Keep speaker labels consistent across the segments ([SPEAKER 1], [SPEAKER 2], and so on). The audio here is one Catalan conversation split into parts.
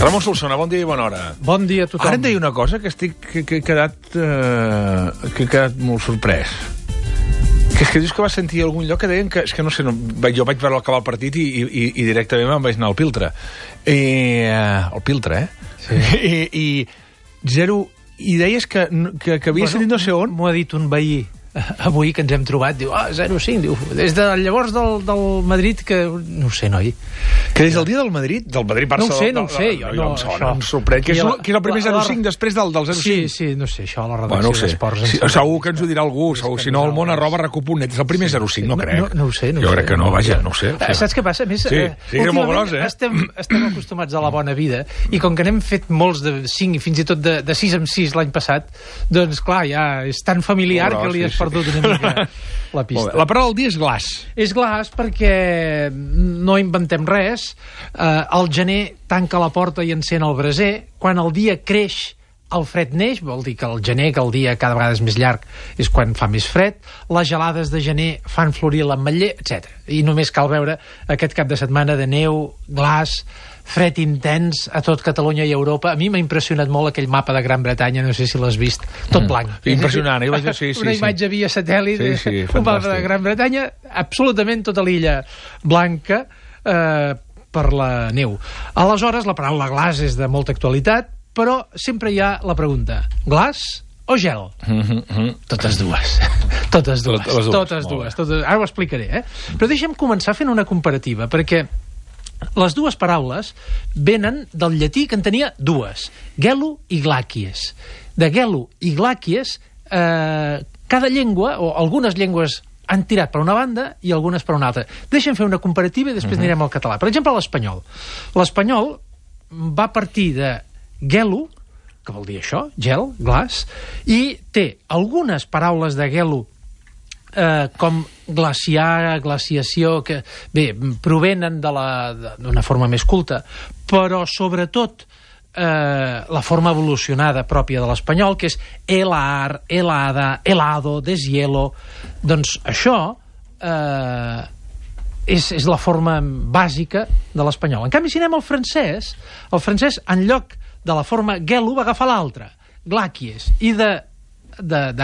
[SPEAKER 1] Ramon Solsona, bon dia i bona hora.
[SPEAKER 2] Bon dia a tothom.
[SPEAKER 1] Ara em deia una cosa que he quedat molt sorprès. Que és que dius que vas sentir a algun lloc que deien que... És que no sé, jo vaig veure acabar el partit i directament me'n vaig anar al Piltre. Al Piltre,
[SPEAKER 2] Sí.
[SPEAKER 1] I deies que havia sentit no sé on.
[SPEAKER 2] M'ho ha dit un veí avui que ens hem trobat, diu, 0-5, diu, des de llavors del Madrid que... No ho sé, noi.
[SPEAKER 1] Que des del dia del Madrid Barça...
[SPEAKER 2] No ho sé, jo no...
[SPEAKER 1] Em sorprèn, que és el primer 0-5 després del 0-5.
[SPEAKER 2] Sí, no sé, això a la redacció d'Esports...
[SPEAKER 1] Segur que ens ho dirà algú, si no el món @recup.net, és el primer 0-5, no crec.
[SPEAKER 2] No ho sé.
[SPEAKER 1] Jo crec que no, vaja, no ho sé.
[SPEAKER 2] Saps què passa? A més,
[SPEAKER 1] últimament
[SPEAKER 2] estem acostumats a la bona vida i com que n'hem fet molts de 5 i fins i tot de 6 en 6 l'any passat, doncs clar, ja és tan familiar que li has perdut una mica la pista.
[SPEAKER 1] La paraula del dia és glaç.
[SPEAKER 2] És glaç perquè no inventem res. El gener tanca la porta i encén el braser. Quan el dia creix, el fred neix, vol dir que el gener, que el dia cada vegada és més llarg, és quan fa més fred. Les gelades de gener fan florir l'ametller, etc. I només cal veure aquest cap de setmana de neu, glaç, fred intens a tot Catalunya i Europa. A mi m'ha impressionat molt aquell mapa de Gran Bretanya, no sé si l'has vist, tot blanc.
[SPEAKER 1] Impressionant,
[SPEAKER 2] una imatge via satèl·lit, un mapa de Gran Bretanya, absolutament tota l'illa blanca per la neu. Aleshores, la paraula glaç és de molta actualitat, però sempre hi ha la pregunta, glaç o gel? Totes dues. Totes dues. Ara ho explicaré, Però deixa'm començar fent una comparativa, perquè les dues paraules venen del llatí, que en tenia dues, gelo i glàquies. De gelo i glàquies, cada llengua, o algunes llengües, han tirat per una banda i algunes per una altra. Deixa'm fer una comparativa i després anirem al català. Per exemple, l'espanyol. L'espanyol va partir de gelo, que vol dir això, gel, glaç, i té algunes paraules de gelo com glaciar, glaciació, que bé, provenen d'una forma més culta, però sobretot la forma evolucionada pròpia de l'espanyol, que és helar, helada, helado, deshielo. Doncs això és la forma bàsica de l'espanyol. En canvi, si anem al francès, el francès, en lloc de la forma gelo, va agafar l'altra, glàquies, i de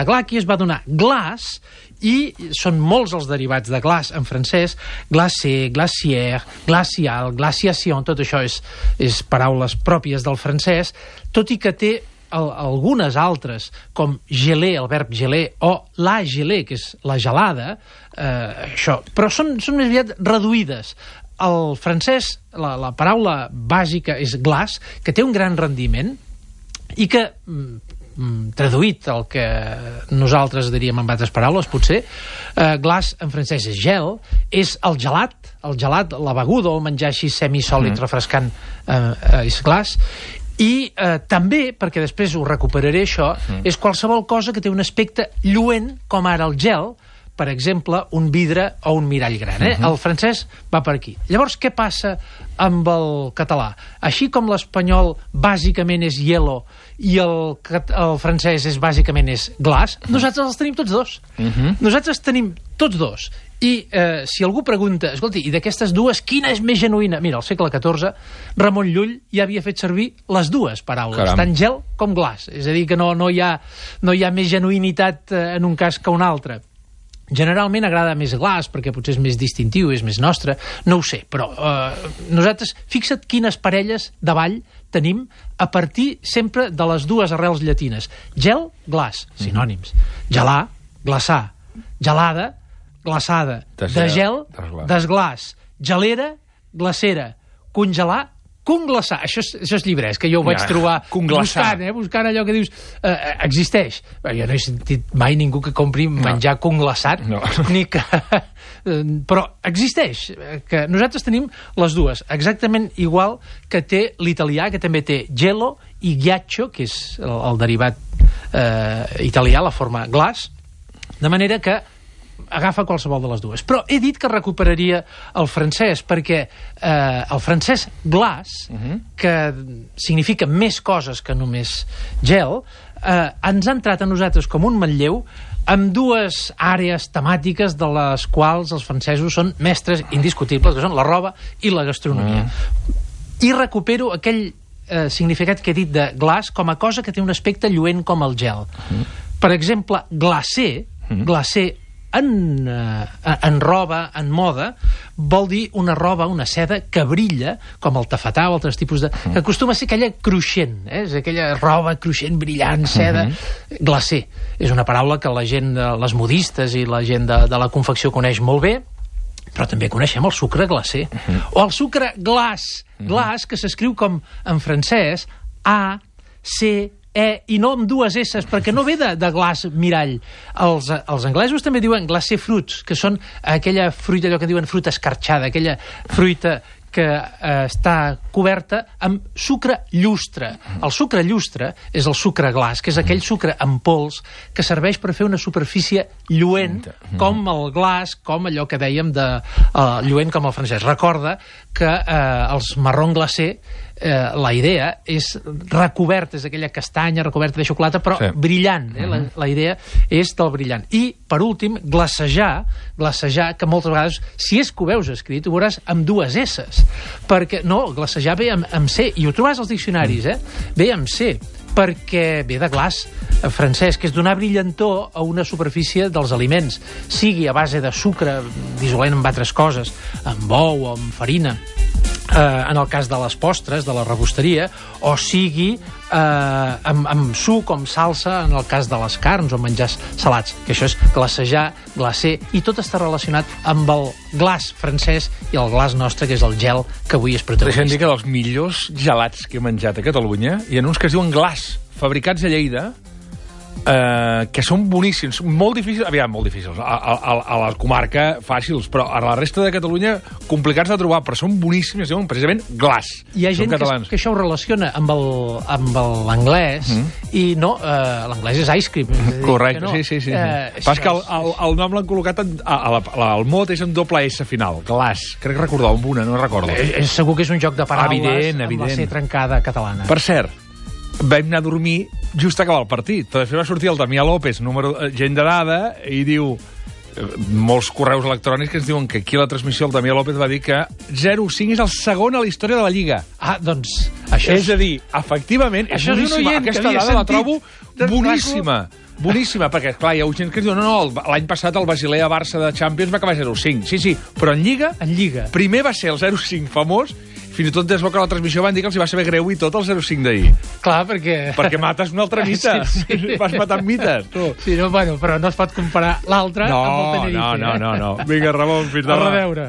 [SPEAKER 2] glàquies va donar glaç, i són molts els derivats de glaç en francès, glacé, glacière, glacial, glaciación, tot això és paraules pròpies del francès, tot i que té algunes altres, com gelé, el verb gelé, o la gelé, que és la gelada, això, però són més aviat reduïdes. El francès, la paraula bàsica és glaç, que té un gran rendiment i que, traduït el que nosaltres diríem amb altres paraules, potser, glaç en francès és gel, és el gelat, la beguda o el menjar així semisòlid, refrescant, és glaç, i també, perquè després ho recuperaré això, és qualsevol cosa que té un aspecte lluent, com ara el gel, per exemple, un vidre o un mirall gran. El francès va per aquí. Llavors, què passa amb el català? Així com l'espanyol bàsicament és hielo i el francès bàsicament és glaç, nosaltres els tenim tots dos. Nosaltres tenim tots dos. I si algú pregunta, escolti, i d'aquestes dues, quina és més genuïna? Mira, al segle XIV, Ramon Llull ja havia fet servir les dues paraules, tant gel com glaç. És a dir, que no hi ha més genuïnitat en un cas que un altre. Generalment agrada més glaç, perquè potser és més distintiu, és més nostre, no ho sé, però nosaltres, fixa't quines parelles de ball tenim a partir sempre de les dues arrels llatines. Gel, glaç, sinònims. Gelar, glaçar. Gelada, glaçada. De gel, desglaç. Gelera, glacera. Congelar, conglaçar. Això és llibrès, que jo ho vaig trobar buscant allò que dius existeix. Jo no he sentit mai ningú que compri menjar conglaçat, ni que... però existeix, que nosaltres tenim les dues, exactament igual que té l'italià, que també té gelo i ghiaccio, que és el derivat italià, la forma glaç, de manera que agafa qualsevol de les dues. Però he dit que recuperaria el francès, perquè el francès glaç, que significa més coses que només gel, ens ha entrat a nosaltres com un manlleu amb dues àrees temàtiques de les quals els francesos són mestres indiscutibles, que són la roba i la gastronomia. I recupero aquell significat que he dit de glaç com a cosa que té un aspecte lluent com el gel. Per exemple, glacé en roba, en moda, vol dir una roba, una seda que brilla, com el tafetà o altres tipus de... que acostuma a ser aquella cruixent, és aquella roba cruixent, brillant, seda... Glacé. És una paraula que la gent, les modistes i la gent de la confecció coneix molt bé, però també coneixem el sucre glacé. O el sucre glaç, que s'escriu com en francès, A, C, i no amb dues esses, perquè no ve de glaç mirall. Els anglesos també diuen glacé fruits, que són aquella fruita, allò que diuen fruita escarxada, aquella fruita que està coberta amb sucre llustre. El sucre llustre és el sucre glaç, que és aquell sucre en pols que serveix per fer una superfície lluent, com el glaç, com allò que dèiem de lluent com el francès. Recorda que els marrón glacé, la idea és recobert, és aquella castanya recoberta de xocolata, però brillant. La idea és del brillant. I, per últim, glacejar, que moltes vegades, si és que ho veus escrit, ho veuràs amb dues esses. Perquè, no, glacejar ve amb C, i ho trobaràs als diccionaris, ve amb C, perquè ve de glaç francès, que és donar brillantor a una superfície dels aliments, sigui a base de sucre, dissolent amb altres coses, amb ou o amb farina, en el cas de les postres, de la rebosteria, o sigui amb suc, amb salsa, en el cas de les carns o menjars salats, que això és glacejar, glacé, i tot està relacionat amb el glaç francès i el glaç nostre, que és el gel, que avui és protagonista.
[SPEAKER 1] Deixa'm dir que dels millors gelats que he menjat a Catalunya hi ha uns que es diuen glaç, fabricats a Lleida, que són boníssims, molt difícils, molt difícils, a la comarca fàcils, però a la resta de Catalunya complicats de trobar, però són boníssims, es diuen precisament glaç.
[SPEAKER 2] Hi ha gent que això ho relaciona amb l'anglès, i no, l'anglès és ice cream.
[SPEAKER 1] Correcte, sí. Pas que el nom l'han col·locat, el mot és amb doble S final, glaç. Crec recordar amb una, no recordo.
[SPEAKER 2] Segur que és un joc de paraules amb la C trencada catalana.
[SPEAKER 1] Per cert, vam anar a dormir just a acabar el partit, però després va sortir el Damià López, gent de dada, i diu molts correus electrònics que ens diuen que aquí a la transmissió el Damià López va dir que 0-5 és el segon a la història de la Lliga.
[SPEAKER 2] Doncs això
[SPEAKER 1] és a dir, efectivament, és boníssima. Aquesta dada la trobo boníssima. Boníssima, perquè, clar, hi ha gent que diu l'any passat el Basilea-Barça de Champions va acabar 0-5. Sí, però en Lliga primer va ser el 0-5 famós, fins i tot des que la transmissió van dir que els hi va saber greu i tot el 0-5 d'ahir.
[SPEAKER 2] Clar, perquè
[SPEAKER 1] mates un altre mite. Vas matant mites, tu.
[SPEAKER 2] Sí, però no es pot comparar l'altre amb el Tenerife.
[SPEAKER 1] No. Vinga, Ramon, fins demà.
[SPEAKER 2] A reveure.